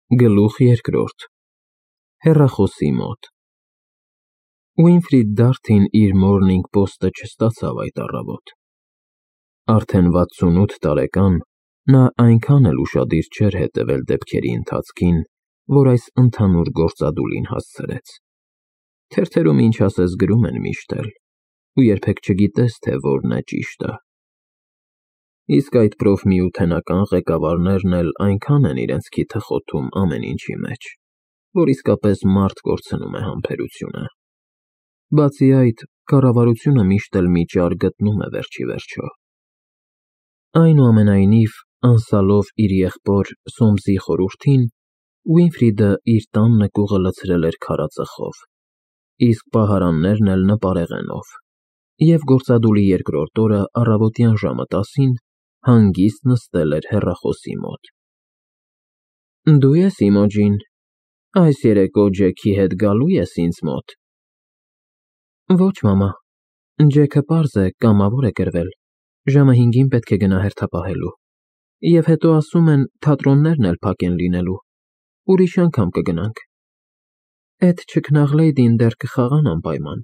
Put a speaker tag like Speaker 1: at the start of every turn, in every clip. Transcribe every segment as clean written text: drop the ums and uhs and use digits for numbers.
Speaker 1: Գլուխ երկրորդ Հեռախոսի մոտ Ուինֆրիդ Դարթին իր Morning Post-ը չստացավ այդ առավոտ։ Արդեն 68 տարեկան նա այնքան էլ ուշադիր չէր հետևել դեպքերի ընթացքին, որ այս ընդհանուր գործադուլին հասցրեց։ Թերթերում ինչ ասես գրում են միշտ էլ, ու երբեք չգիտես, թե որն է ճիշտը։ Իսկ այդ պրոֆմիութենական ղեկավարներն էլ այնքան են իրենց քիթը խոթում ամեն ինչի մեջ, որ իսկապես մարդ կորցնում է համբերությունը։ Բացի այդ, կառավարությունը միշտ էլ մի ճար գտնում է վերջիվերջո։ Այնուամենայնիվ, անսալով իր եղբոր Սոմսի խորհրդին, Ուինֆրիդը իր տան նկուղը լցրել էր քարածխով, իսկ պահարաններն էլ նպարեղենով, և գործադուլի երկրորդ օրը առավոտյան ժամը 10-ին հանգիստ նստել էր հեռախոսի մոտ։ Դու ես Իմոջին, այս երեկո Ջեքի հետ գալու ես ինձ մոտ։ Ոչ, մամա, Ջեքը պարզ է, կամավոր է կրվել, ժամը 5-ին պետք է գնա հերթապահելու, և հետո ասում են թատրոններն էլ փակ են լինելու, ուրիշ անգամ կգնանք։ Էդ չքնաղ լեյդին դեռ կխաղան անպայման։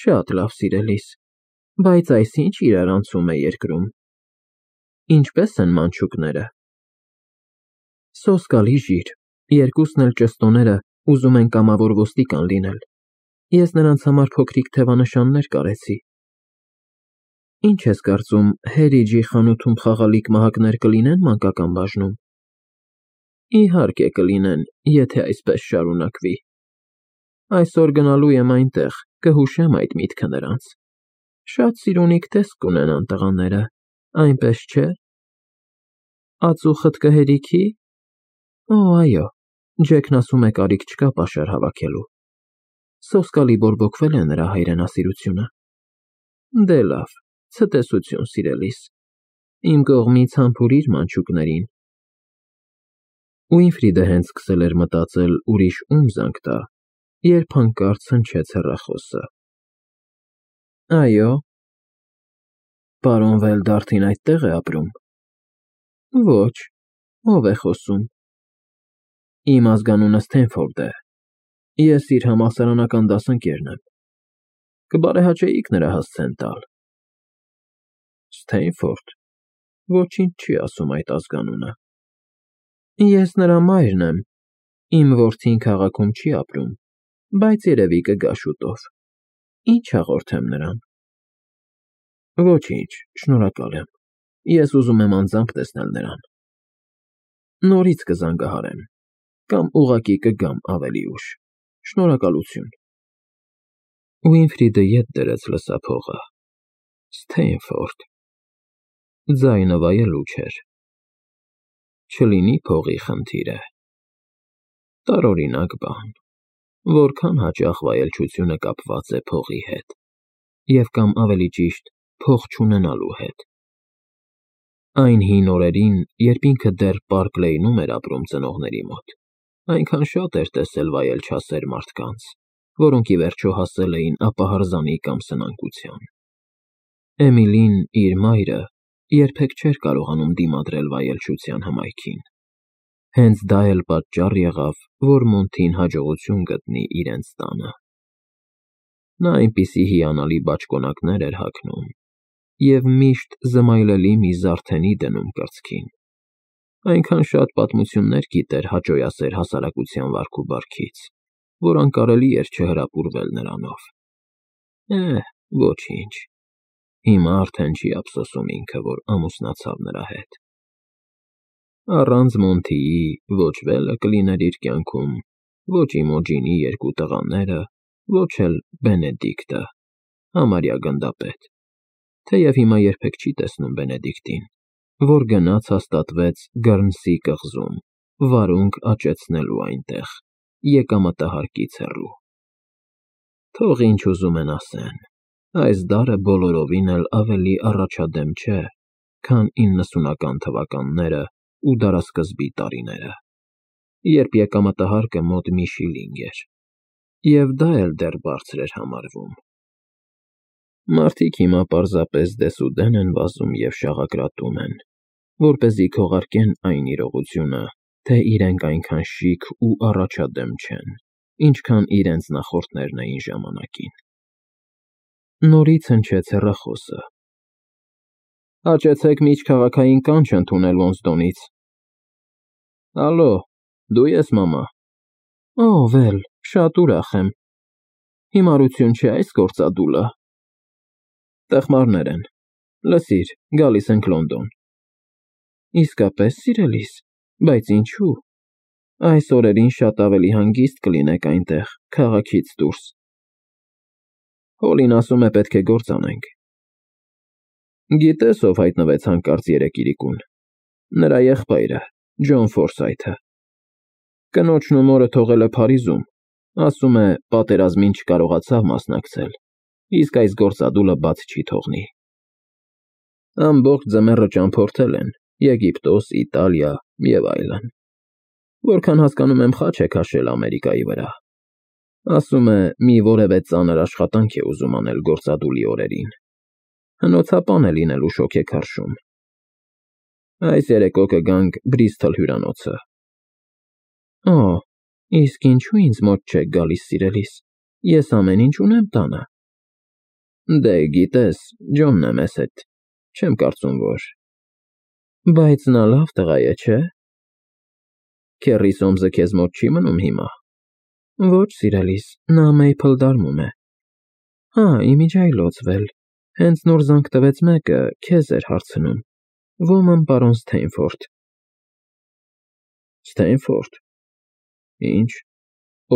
Speaker 1: Շատ լավ, սիրելիս, բայց այս ինչ իրարանցում է երկրում։ Ինչպե՞ս են մանչուկները։ Սոսկալի ժիր, երկուսն էլ ճշտոները ուզում են կամավոր ոստիկան լինել, ես նրանց համար փոքրիկ թևանշաններ կարեցի։ Ինչ ես կարծում, Հերիջի խանութում խաղալիք մահակներ կլինեն մանկական բաժնում։ Իհարկե կլինեն, եթե այսպես շարունակվի։ Այսօր գնալու եմ այնտեղ, կհուշեմ այդ միտքը նրանց։ Շատ սիրունիկ տեսք կունենան տղաները, այնպես չէ։ Ածուխդ կհերիքի։ Օ, այո, Ջեքն ասում է կարիք չկա պաշար հավաքելու։ Սոսկալի բորբոքվել է նրա հայրենասիրությունը։ Դե լավ, ցտեսություն, սիրելիս, իմ կողմից համբուրիր մանչուկներին։ Ուինֆրիդը հենց սկսել էր մտածել ուրիշ ում զանգ տա, երբ հանկարծ հնչեց հեռախոսը։ Այո։ Պարոն Վելդարթին այդտեղ է ապրում։ Ոչ, ով է խոսում։ Իմ ազգանունը Սթենֆորդ է։ Ես իր համալսարանական դասընկերն եմ։ Կբարեհաճեիք նրա հասցեն տալ։ Սթենֆորդ, ոչինչ չի ասում այդ ազգանունը։ Ես նրա մայրն եմ, իմ որդին քաղաքում չի ապրում, բայց երևի կգա շուտով։ Ինչ հաղորդեմ նրան։ Ոչինչ, շնորհակալ եմ, ես ուզում եմ անձամբ տեսնել նրան։ Նորից կզանգահարեմ, կամ ուղղակի կգամ ավելի ուշ։ Շնորհակալություն։ Ուինֆրիդը ետ դրեց լսափողը։ Սթենֆորդ։ Ձայնը վայելուչ էր։ Չլինի փողի խնդիր է։ Տարօրինակ բան, որքան հաճախ վայելչությունը կապված է փողի հետ, և կամ ավելի ճիշտ, փող չունենալու հետ։ Այն հին օրերին, երբ ինքը դեռ Պարկ Լեյնում էր ապրում ծնողների մոտ, այնքան շատ էր տեսել վայելչասեր մարդկանց, որոնք ի վերջո հասել էին ապահարզանի կամ սնանկության։ Էմիլին, իր մայրը, երբեք չէր կարողանում դիմադրել վայելչության հմայքին։ Հենց դա էլ պատճառ եղավ, որ Մոնթին հաջողություն գտնի իրենց տանը։ Նա այնպիսի հիանալի բաճկոնակներ էր հագնում և միշտ զմայլելի մի զարդենի դնում կրծքին։ Այնքան շատ պատմություններ գիտեր հաճոյասեր հասարակության վարք ու բարքից, որ անկարելի էր չհրապուրվել նրանով։ Ոչինչ, հիմա արդեն չի ափսոսում ինքը, որ ամուսնացավ նրա հետ։ Առանց Մոնթիի ոչ Վելը կլիներ իր կյանքում, ոչ Իմոջինի երկու տղաները, ոչ էլ Բենեդիկտը, համարյա գնդապետ, թեև հիմա երբեք չի տեսնում Բենեդիկտին, որ գնաց հաստատվեց Գըրնսի կղզում, վարունգ աճեցնելու այնտեղ, եկամտահարկից հեռու։ Թող ինչ ուզում են ասեն, այս դարը բոլորովին էլ ավելի առաջադեմ չէ, քան 90-ական թվականները ու դարասկզբի տարիները, երբ եկամտահարկը մոտ մի շիլինգ էր, և դա էլ դեռ բարձր էր համարվում։ Մարդիկ հիմա պարզապես դեսուդեն են վազում և շաղակրատում են, որպեսզի քողարկեն այն իրողությունը, թե իրենք այնքան շիկ ու առաջադեմ չեն, ինչքան իրենց նախորդներն էին ժամանակին։ Նորից հնչեց հեռախոսը։ Հաճեցեք միջքաղաքային կանչ ընդունել Ոստոնից։ Ալո, դու ես, մամա։ Օ, վել, շատ ուրախ եմ։ Հիմարություն չէ այս գործադուլը։ Տխմարներ են։ Լսիր, գալիս ենք Լոնդոն։ Իսկապես, սիրելիս, բայց ինչու։ Այս օրերին շատ ավելի հանգիստ կլինեք այնտեղ, քաղաքից դուրս։ Հոլին ասում է պետք է գործ անենք։ Գիտես, ով հայտնվեց հանկարծ երեկ իրիկուն։ Նրա եղբայրը, Ջոն Ֆորսայթը։ Կնոջն ու մորը թողել է Փարիզում, ասում է պատերազմին չկարողացավ մասնակցել, իսկ այս գործադուլը բաց չի թողնի։ Ամբողջ ձմեռը ճամփորդել են Եգիպտոս, Իտալիա և այլն։ Որքան հասկանում եմ, խաչ է քաշել Ամերիկայի վրա։ Ասում է, մի որևէ ծանր աշխատանք է ուզում անել գործադուլի օրերին։ Հնոցապան է լինելու շոգեքարշում։ Այս երեկո կգանք Բրիստոլ հյուրանոցը։ Օ, իսկ ինչու ինձ մոտ չեք գալիս, սիրելիս։ Ես ամեն ինչ ունեմ տանը։ Դե, գիտես, Ջոնն է մեզ հետ։ Չեմ կարծում, որ… Բայց նա լավ տղա է, չէ՞։ Քեռի Սոմսը քեզ մոտ չի մնում հիմա։ Ոչ, սիրելիս, նա Մեյփլ Դարմում է։ Հա, իմիջիայլոց, վել, հենց նոր զանգ տվեց մեկը, քեզ էր հարցնում։ Ոմն պարոն Սթեյնֆորդ։ Սթեյնֆորդ։ Ինչ,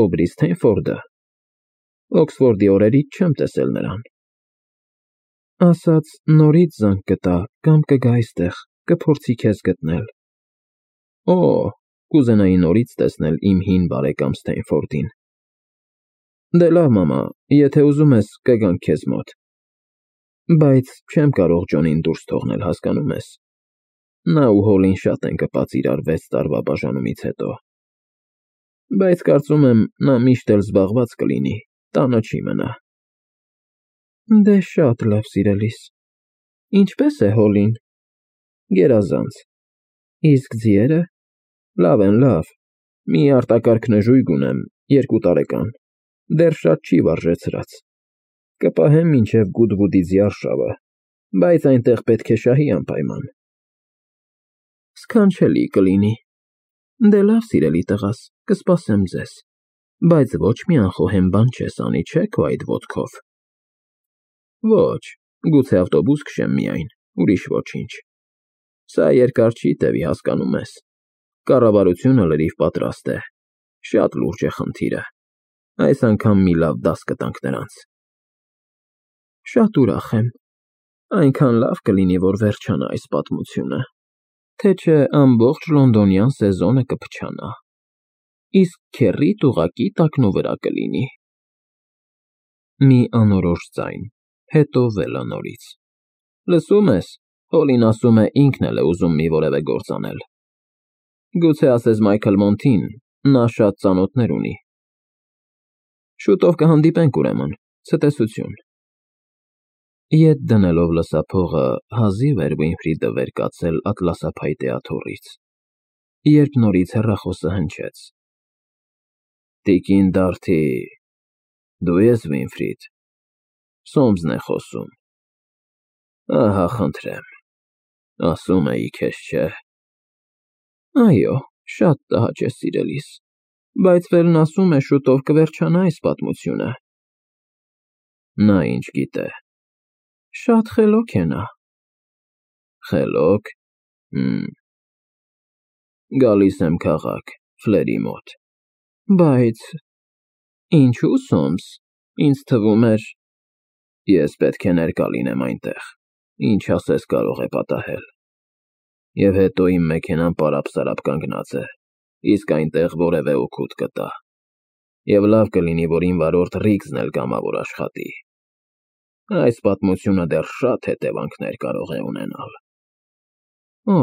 Speaker 1: Օբրի Սթեյնֆորդը։ Օքսֆորդի օրերից չեմ տեսել նրան։ Ասաց նորից զանգ կտա, կամ կգա այստեղ, կփորձի քեզ գտնել։ Օ, կուզենայի նորից տեսնել իմ հին բարեկամ Սթեյնֆորդին։ Դե լավ, մամա, եթե ուզում ես, կգանք քեզ մոտ։ Բայց չեմ կարող Ջոնին դուրս թողնել, հասկանում ես։ Նա ու Հոլին շատ են կպած իրար 6 տարվա բաժանումից հետո։ Բայց կարծում եմ, նա միշտ էլ զբաղված կլինի, տանը չի մնա։ Դե շատ լավ, սիրելիս։ Ինչպե՞ս է Հոլին։ Գերազանց։ Իսկ ձիերը։ Լավ են, լավ։ Մի արտակարգ նժույգ ունեմ, 2 տարեկան։ Դեռ շատ չի վարժեցրած։ Կպահեմ մինչև Գուդվուդի ձիարշավը, բայց այնտեղ պետք է շահի անպայման։ Սքանչելի կլինի։ Դե լավ, սիրելի տղաս, կսպասեմ ձեզ։ Բայց ոչ մի անխոհեմ բան չես անի, չէ՞ քո այդ ոտքով։ Ոչ, գուցե ավտոբուս քշեմ միայն, ուրիշ ոչինչ։ Սա երկար չի տևի, հասկանում ես։ Կառավարությունը լրիվ պատրաստ է։ Շատ լուրջ է խնդիրը։ Այս անգամ մի լավ դաս կտանք նրանց։ Շատ ուրախ եմ։ Այնքան լավ կլինի, որ վերջանա այս պատմությունը, թե չէ ամբողջ լոնդոնյան սեզոնը կփչանա։ Իսկ քեռիդ ուղղակի տակնուվրա կլինի։ Մի անորոշ ձայն, հետո վելանորից։ Լսում ես, Հոլին ասում է ինքն էլ է ուզում մի որևէ գործ անել։ Գուցե ասես Մայքլ Մոնթին, նա շատ ծանոթներ ունի։ Շուտով կհանդիպենք ուրեմն, ցտեսություն։ Ետ դնելով լսափողը հազիվ էր Վինֆրիդը վեր կացել ատլասափայտե աթոռից, երբ նորից հեռախոսը հնչեց։ Տիկին Դարթի, դու ես Վինֆրիդ։ Սոմսն է խոսում։ Ահա, խնդրեմ, ասում էի քեզ, չէ։ Այո, շատ տհաճ է, սիրելիս, բայց Վելն ասում է շուտով կվերջանա այս պատմությունը։ Նա ինչ գիտե։ Շատ խելոք է նա։ Խելոք։ Գալիս եմ քաղաք, Ֆլերի մոտ։ Բայց… Ինչու Սոմս, ինձ թվում էր… Ես պետք է ներկա լինեմ այնտեղ, ինչ ասես կարող է պատահել։ Եվ հետո իմ մեքենան պարապ-սարապ կանգնած է, իսկ այնտեղ որևէ օգուտ կտա։ Եվ լավ կլինի, որ իմ վարորդ Ռիգզն էլ կամավոր աշխատի։ Այս պատմությունը դեռ շատ հետևանքներ կարող է ունենալ։ Օ,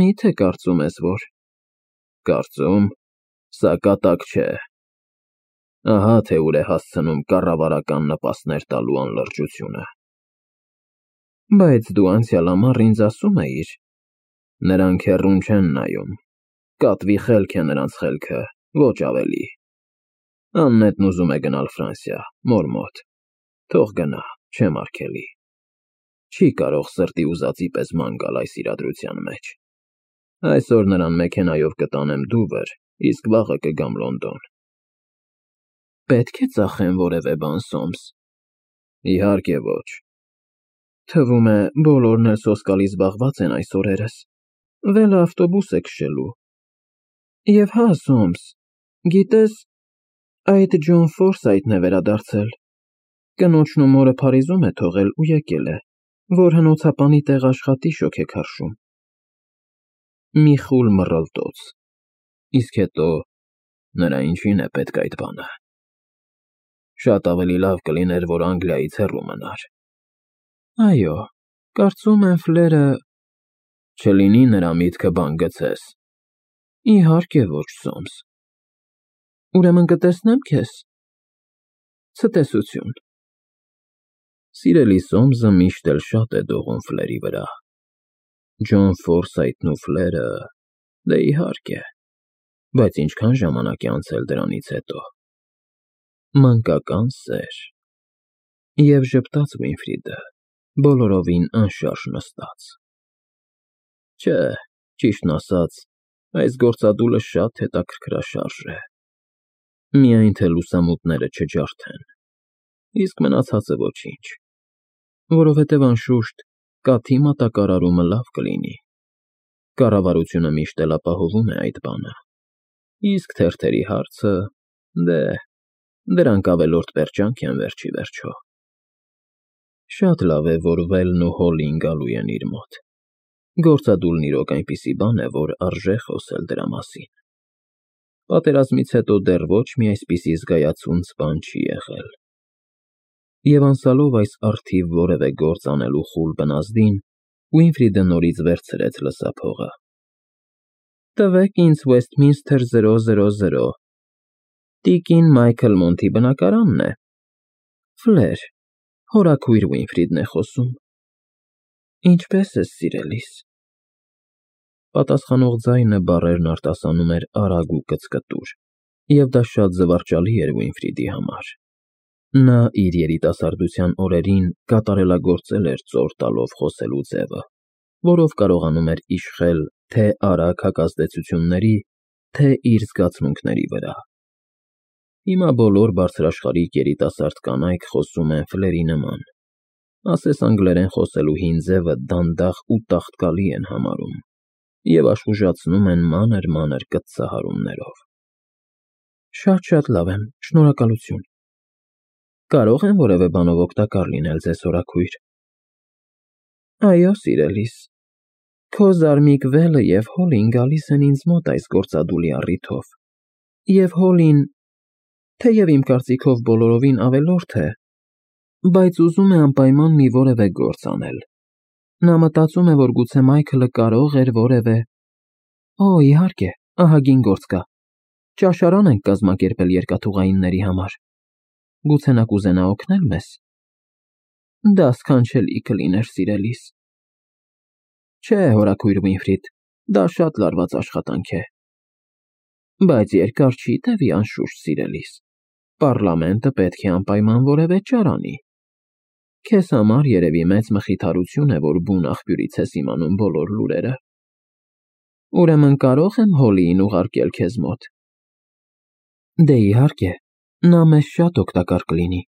Speaker 1: միթե կարծում ես, որ… Կարծում, սա կատակ չէ։ Ահա թե ուր է հասցնում կառավարական նպաստներ տալու անլրջությունը։ Բայց դու անցյալ ամառ ինձ ասում էիր… Նրանք հեռուն չեն նայում։ Կատվի խելք է նրանց խելքը, ոչ ավելի։ Աննետն ուզում է գնալ Ֆրանսիա, մոր մոտ։ Թող գնա, չեմ արգելի։ Չի կարող սրտի ուզածի պես ման գալ այս իրադրության մեջ։ Այսօր նրան մեքենայով կտանեմ Դուվր, իսկ վաղը կգամ Լոնդոն։ Պետք է ծախեմ որևէ բան, Սոմս։ Իհարկե ոչ։ Թվում է, բոլորն էլ սոսկալի զբաղված են այս օրերս։ Վելը ավտոբուս է քշելու։ Եվ հա, Սոմս, գիտես, այդ Ջոն Ֆորսայթն է վերադարձել։ Կնոջն ու մորը Փարիզում է թողել ու եկել է, որ հնոցապանի տեղ աշխատի շոգեքարշում։ Մի խուլ մռլտոց։ Իսկ հետո նրա ինչին է պետք այդ բանը։ Շատ ավելի լավ կլիներ, որ Անգլիայից հեռու մնար։ Այո, կարծում եմ Ֆլերը… Չլինի նրա միտքը բան գցես։ Իհարկե ոչ, Սոմս։ Ուրեմն կտեսնեմ քեզ։ Ցտեսություն։ Սիրելի Սոմսը միշտ էլ շատ է դողում Ֆլերի վրա։ Ջոն Ֆորսայթն ու Ֆլերը… Դե իհարկե, բայց ինչքան ժամանակ է անցել դրանից հետո։ Մանկական սեր… Եվ ժպտաց Վինֆրիդը, բոլորովին անշարժ նստած։ Չէ, ճիշտն ասած, այս գործադուլը շատ հետաքրքրաշարժ է։ Միայն թե լուսամուտները չջարդեն, իսկ մնացածը ոչինչ, որովհետև անշուշտ կաթի մատակարարումը լավ կլինի։ Կառավարությունը միշտ էլ ապահովում է այդ բանը, իսկ թերթերի հարցը… Դե, դրանք ավելորդ պերճանք են վերջի վերջո։ Շատ լավ է, որ Վելն ու Հոլին գալու են իր մոտ։ Գործադուլն իրոք այնպիսի բան է, որ արժե խոսել դրա մասին։ Պատերազմից հետո դեռ ոչ մի այսպիսի զգայացունց բան չի եղել։ Եվ անցալով այս առթիվ որևէ գործ անելու խուլ բնազդին, Վինֆրիդը նորից վերցրեց լսափողը։ Տվեք ինձ Վեսթմինսթր 000, Տիկին Մայքլ Մոնթի բնակարանն է։ Ֆլեր, հորաքույր Վինֆրիդն է խոսում։ Ինչպե՞ս ես, սիրելիս։ Պատասխանող ձայնը բառերն արտասանում էր արագ ու կծկտուր, և դա շատ զվարճալի էր Վինֆրիդի համար։ Նա իր երիտասարդության օրերին կատարելագործել էր ծոր տալով խոսելու ձևը, որով կարողանում էր իշխել թե արագ հակազդեցությունների, թե իր զգացմունքների վրա։ Հիմա բոլոր բարձրաշխարհիկ երիտասարդ կանայք խոսում են Ֆլերի նման, ասես անգլերեն խոսելու հին ձևը դանդաղ ու տաղտկալի են համարում և աշխուժացնում են մանր կտցահարումներով։ Շատ լավ եմ, շնորհակալություն։ Կարո՞ղ եմ որևէ բանով օգտակար լինել ձեզ, հորաքույր։ Այո, սիրելիս, քո զարմիկ Վելը և Հոլին գալիս են ինձ մոտ այս գործադուլի առիթով, և Հոլին, թեև իմ կարծիքով բոլորովին ավելորդ է, բայց ուզում է անպայման մի որևէ գործ անել։ Նա մտածում է, որ գուցե Մայքլը կարող էր որևէ… Օ, իհարկե, ահագին գործ կա։ Ճաշարան ենք կազմակերպել երկաթուղայինների համար։ Գուցե նա կուզենա օգնել մեզ։ Դա սքանչելի կլիներ, սիրելիս։ Չէ, հորաքույր Վինֆրիդ, դա շատ լարված աշխատանք է։ Բայց երկար չի տևի, անշուշտ, սիրելիս։ Պառլամենտը պետք է անպայման որևէ ճար անի։ Քեզ համար երևի մեծ մխիթարություն է, որ բուն աղբյուրից ես իմանում բոլոր լուրերը։ Ուրեմն կարող եմ Հոլիին ուղարկել քեզ մոտ։ Դե իհարկե, նա մեզ շատ օգտակար կլինի։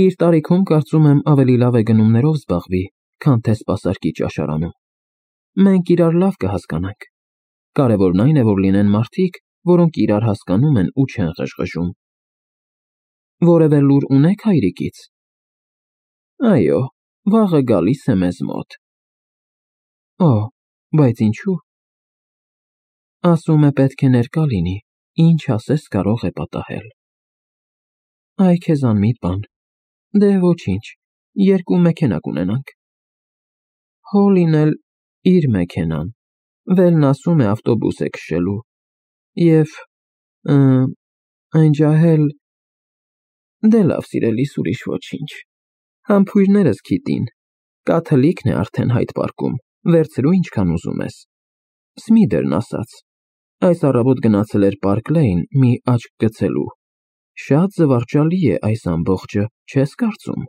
Speaker 1: Իր տարիքում կարծում եմ ավելի լավ է գնումներով զբաղվի, քան թե սպասարկի ճաշարանում։ Մենք իրար լավ կհասկանանք։ Կարևորն այն է, որ լինեն մարդիկ, որոնք իրար հասկանում են ու չեն ղժղժում։ Որևէ լուր ունեք հայրիկից։ Այո, վաղը գալիս է մեզ մոտ։ Օ, բայց ինչու։ Ասում է պետք է ներկա լինի, ինչ ասես կարող է պատահել։ Այ քեզ անմիտ բան։ Դե ոչինչ, երկու մեքենա կունենանք։ Հոլին էլ իր մեքենան, Վելն ասում է ավտոբուս է քշելու, և… այն ջահել… Դե լավ, սիրելիս, ուրիշ ոչինչ։ Համբույրներս քիթին, կաթլիկն է արդեն Հայդ պարկում, վերցրու ինչքան ուզում ես։ Սմիդերն ասաց։ Այս առավոտ գնացել էր Պարկ Լեյն մի աչք գցելու։ Շատ զվարճալի է այս ամբողջը, չես կարծում։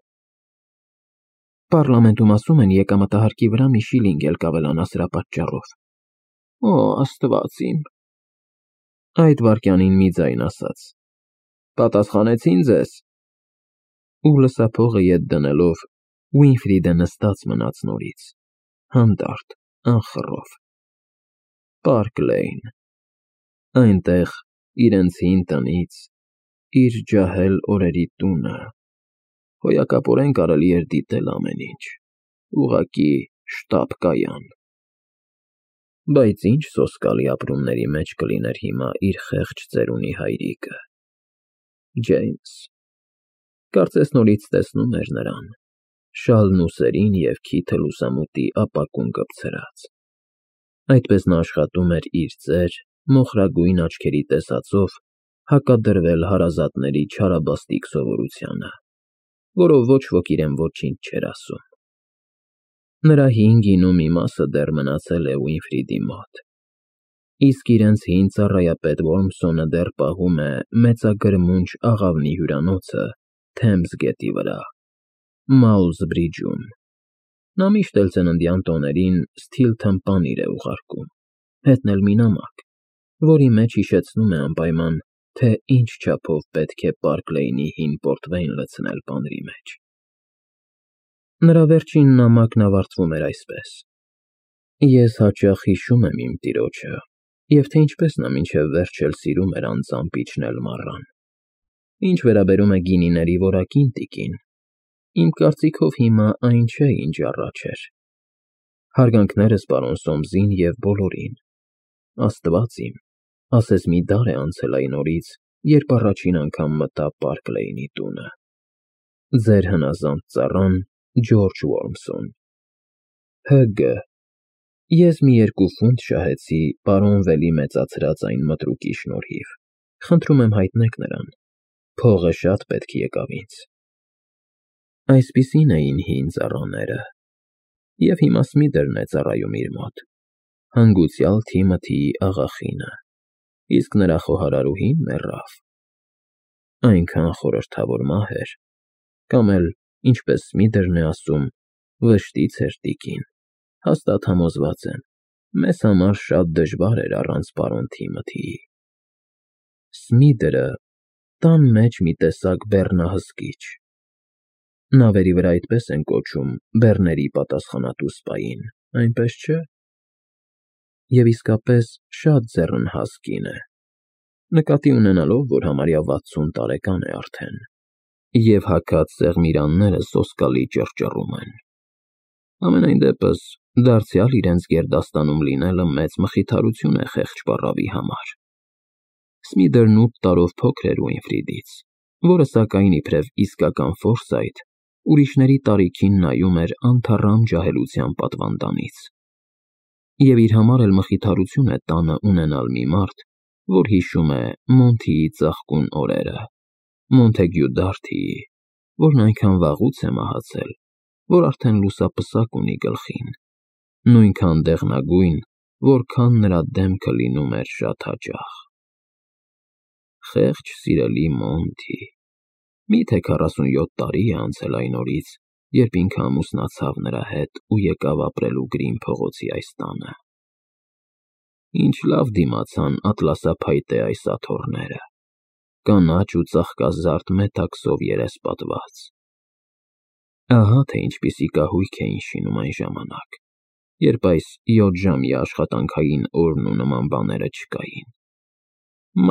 Speaker 1: Պառլամենտում ասում են եկամտահարկի վրա մի շիլինգ էլ կավելանա սրա պատճառով։ Օ, Աստված իմ։ Այդ վայրկյանին մի ձայն ասաց. Պատասխանեցին ձեզ։ Ու լսափողը ետ դնելով Ուինֆրիդը նստած մնաց նորից, հանդարտ, անխռով։ Պարկ Լեյն։ Այնտեղ իրենց հին տնից, իր ջահել օրերի տունը, հոյակապորեն կարելի էր դիտել ամեն ինչ, ուղղակի շտապ կայան։ Բայց ինչ սոսկալի ապրումների մեջ կլիներ հիմա իր խեղճ ծերունի հայրիկը։ Ջեյմս։ Կարծես նորից տեսնում էր նրան, շալն ուսերին և քիթը լուսամուտի ապակուն կպցրած։ Այդպես նա աշխատում էր իր ծեր, մոխրագույն աչքերի տեսածով հակադրվել հարազատների չարաբաստիկ սովորությանը, որով ոչ ոք իրեն ոչինչ չէր ասում։ Նրա հին գինու մի մասը դեռ մնացել է Ուինֆրիդի մոտ, իսկ իրենց հին ծառայապետ Որմսոնը դեռ պահում է մեծագրմունջ աղավնի հյուրանոցը Թեմզ գետի վրա, Մաուլզ Բրիջում։ Նա միշտ էլ ծննդյան տոներին Սթիլթըն պանիր է ուղարկում, հետն էլ մի նամակ, որի մեջ հիշեցնում է անպայման, թե ինչ չափով պետք է Պարկ Լեյնի հին պորտվեյն լցնել պանրի մեջ։ Նրա վերջին նամակն ավարտվում էր այսպես. Ես հաճախ հիշում եմ իմ տիրոջը, և թե ինչպես նա մինչև վերջ էլ սիրում էր անձամբ իջնել մառան։ Ինչ վերաբերում է գինիների որակին, տիկին, իմ կարծիքով հիմա այն չէ, ինչ առաջ էր։ Հարգանքներս պարոն Սոմսին և բոլորին։ Աստված իմ, ասես մի դար է անցել այն օրից, երբ առաջին անգամ մտա Պարկ Լեյնի տունը։ Ձեր հնազանդ ծառան Ջորջ Որմսոն։ Հ.Գ. Ես մի 2 ֆունտ շահեցի պարոն Վելի մեծացրած այն մտրուկի շնորհիվ։ Խնդրում եմ հայտնեք նրան։ Փողը շատ պետք եկավ ինձ։ Այսպիսին էին հին ծառաները։ Եվ հիմա Սմիթերն է ծառայում իր մոտ, հանգուցյալ Թիմոթիի աղախինը, իսկ նրա խոհարարուհին մեռավ։ Այնքան խորհրդավոր մահ էր, կամ էլ, ինչպես Սմիթերն է ասում, վշտից էր, տիկին, հաստատ համոզված եմ, մեզ համար շատ դժվար էր առանց պարոն Թիմոթիի։ Սմիթերը տան մեջ մի տեսակ բեռնահսկիչ։ Նավերի վրա այդպես են կոչում բեռների պատասխանատու սպային, այնպես չէ։ Եվ իսկապես շատ ձեռնհաս կին է, նկատի ունենալով, որ համարյա 60 տարեկան է արդեն, և հագած սեղմիրանները սոսկալի ճռճռում են։ Համենայն դեպս, դարձյալ իրենց գերդաստանում լինելը մեծ մխիթարություն է խեղճ պառավի համար։ Սմիթերն 8 տարով փոքր էր Ուինֆրիդից, որը սակայն իբրև իսկական ֆորսայթ, ուրիշների տարիքին նայում էր անթառամ ջահելության պատվանդանից։ Եվ իր համար էլ մխիթարություն է տանը ունենալ մի մարդ, որ հիշում է Մոնթիի ծաղկուն օրերը, Մոնթեգյու Դարթիի, որն այնքան վաղուց է մահացել, որ արդեն լուսապսակ ունի գլխին, նույնքան դեղնագույն, որքան նրա դեմքը լինում էր շատ հաճախ։ Խեղճ սիրելի Մոնթի, միթե 47 տարի է անցել այն օրից, երբ ինքը ամուսնացավ նրա հետ ու եկավ ապրելու Գրին փողոցի այս տանը։ Ինչ լավ դիմացան ատլասափայտե այս աթոռները, կանաչ ու ծաղկազարդ մետաքսով երեսպատված։ Ահա թե ինչպիսի կահույք էին շինում այն ժամանակ, երբ այս 7-ժամյա աշխատանքային օրն ու նման բաները չկային։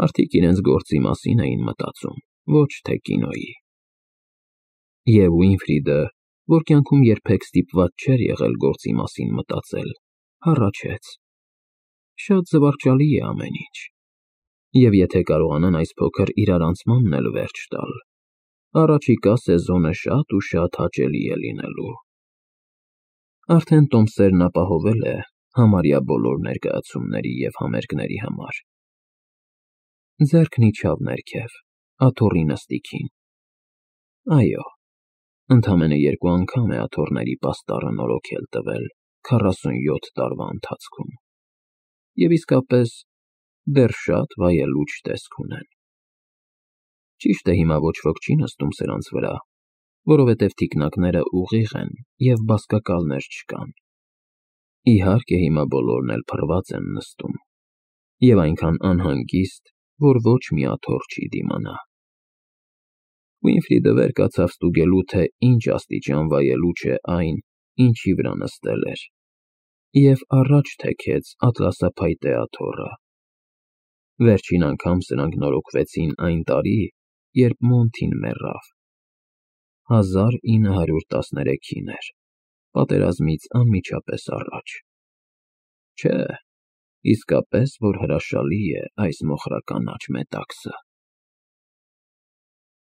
Speaker 1: Մարդիկ իրենց գործի մասին էին մտածում, ոչ թե կինոյի։ Եվ Ուինֆրիդը, որ կյանքում երբեք ստիպված չէր եղել գործի մասին մտածել, հառաչեց. Շատ զվարճալի է ամեն ինչ, և եթե կարողանան այս փոքր իրարանցմանն էլ վերջ տալ, առաջիկա սեզոնը շատ ու շատ հաճելի է լինելու։ Արդեն Տոմսերն ապահովել է համարյա բոլոր ներկայացումների և համերգների համար։ Ձեռքն իջավ ներքև, աթոռի նստիքին։ Այո, ընդամենը 2 անգամ է աթոռների պաստառը նորոգել տվել 47 տարվա ընթացքում։ Եվ իսկապես դեռ շատ վայելուչ տեսք ունեն։ Ճիշտ է, հիմա ոչ ոք չի նստում սրանց վրա, որովհետև թիկնակները ուղիղ են և բազկակալներ չկան։ Իհարկե, հիմա բոլորն էլ փռված են նստում, և այնքան անհանգիստ, որ ոչ մի աթոռ չի դիմանա։ Վիլֆրիդը վեր կացավ ստուգելու, թե ինչ աստիճան վայելուչ է այն, ինչի վրա նստել էր, և առաջ թեքեց ատլասափայտե աթոռը։ Վերջին անգամ սրանք նորոգվեցին այն տարի, երբ Մոնտին մեռավ։ 1913-ին էր, պատերազմից անմիջապես առաջ։ Չէ, իսկապես որ հրաշալի է այս մոխրականաչ մետաքսը։